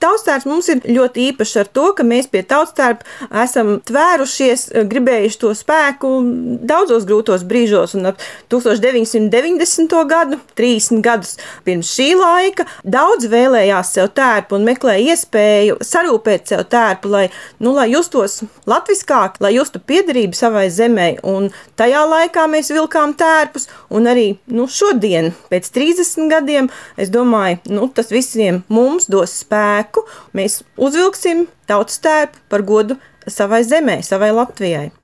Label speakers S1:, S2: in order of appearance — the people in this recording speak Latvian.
S1: tautstērps mums ir ļoti īpašs ar to, ka mēs pie tautstērpa esam tvērušies, gribējuši to spēku daudzos grūtos brīžos, un ap 1990. gadu, 30 gadus pirms šī laika, daudz vēlējās sev tērpu un meklēja iespēju sarūpēt sev tērpu, lai justos latviskāk, lai justu piederību savai zemē, un tajā laikā mēs vilkām tērpus, un arī šodien, pēc 30 gadiem, es domāju, tas visiem mums dos spēku, mēs uzvilksim tautas tērpu par godu savai zemē, savai Latvijai.